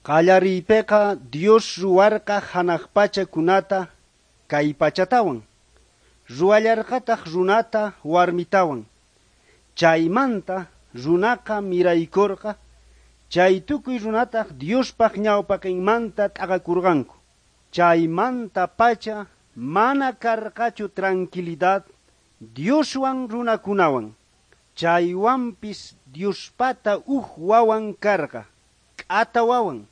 Qallariypeqa Dios ruwarqa hanaq pachakunata kay pachatawan. Ruwallarqataq runata warmitawan. Chaymanta runaqa miraykorqa, chay tukuy runataq Diospaq ñawpaqinmanta t'aqakurqanku. Chaymanta pacha mana karqachu tranquilidad Dioswan runakunawan. Chaywanpis Diospata uj wawan karqa, k'ata wawan.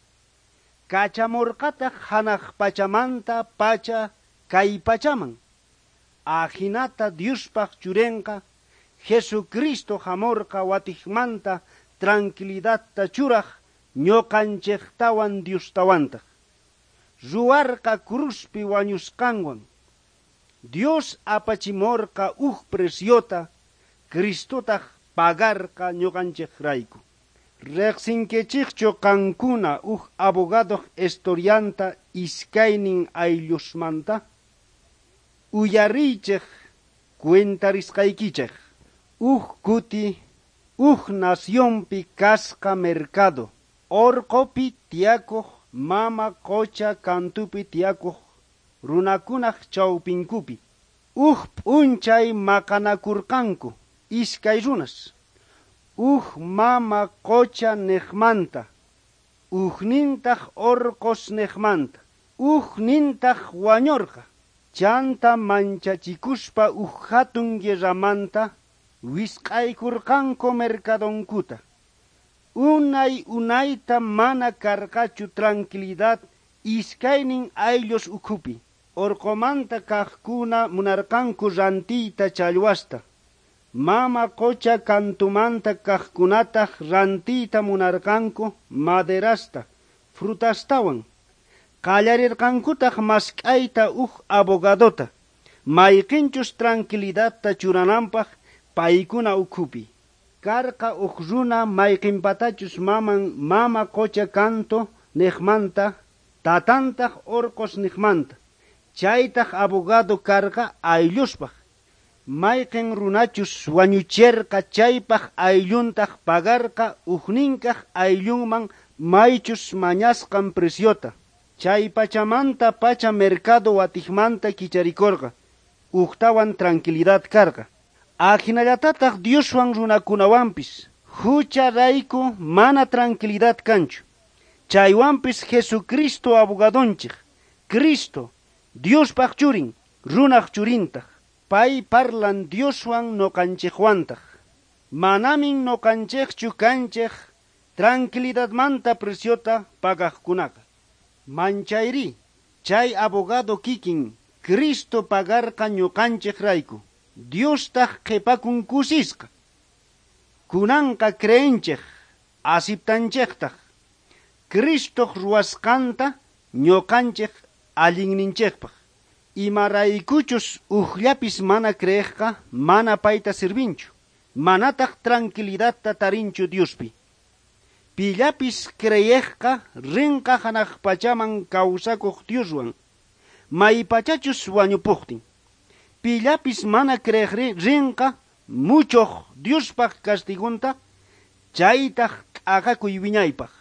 Kachamorqataq hanaq pachamanta pacha kay pachaman. Ajinata Diospaq churenqa Jesucristo hamorqa watijmanta tranquilidadta churaj ñuqanchejtawan Diostawantaq. Ruwarqa cruzpi wañusqanwan. Dios apachimorqa uj preciota, Cristotaq pagarqa ñuqanchejrayku. Riqsinkichikchu qankuna uj abogadoq historianta iskaynin ayllusmanta? Uyariychej cuentarisqaykichej. Uj kuti uj nacionpi kasqa mercado, orqopi tiyakuq mama qocha kantupi tiyakuq runakunaj chawpinkupi. Uj p'unchay maqanakurqanku iskay runas. Uj mama qocha niqmanta, ujnintaq orqos niqmanta, ujnintaq wañorqa. Chanta manchachikuspa uj hatun guerramanta wisq'aykurqanku mercadonkuta. Unay unayta mana karqachu tranquilidad iskaynin ayllus ukhupi. Orqomanta kaqkuna munarqanku rantiyta challwasta. Mama qocha kantumanta kaqkunataq rantiyta munarqanku maderasta, frutastawan. Qallarirqankutaq mask'ayta uj abogadota, mayqinchus tranquilidadta churananpaq paykuna ukhupi. Karqa uj runa mayqinpatachus maman mama qocha kanto niqmanta, tatantaq orqos niqmanta. Chaytaq abogado karqa aylluspaq. Mayqin runachus wañucherqa chaypaq aylluntaq pagarqa ujninkaq ayllunman maychus mañasqan preciota. Chay pachamanta pacha mercado watijmanta kicharikorqa, ujtawan tranquilidad karqa. Ajinallatataq Dioswan runakunawanpis hucharayku mana tranquilidad kanchu. Chaywanpis Jesucristo abogadonchej, Cristo, Diospaq churin, runaq churintaq. Pay parlan Dioswan noqanchejwantaq. Manamin noqanchejchu kanchej tranquilidadmanta preciota pagaqkunaqa. Manchayri, chay abogado kikin Cristo pagarqa ñuqanchejrayku. Diostaq qhipakun kusisqa. Kunanqa creenchej, asiptanchejtaq. Cristoq ruwasqanta ñuqanchej allinninchejpaq. Imaraykuchus ujllapis mana creejqa mana payta sirvinchu. Manataq tranquilidadta tarinchu Diospi. Pillapis creyejqa rinqa hanaq pachaman kawsakuq Dioswan. Maypachachus wañupuqtin. Pillapis mana creejri rinqa muchoq Diospaq castigunta, chaytaq t'aqakuy wiñaypaq.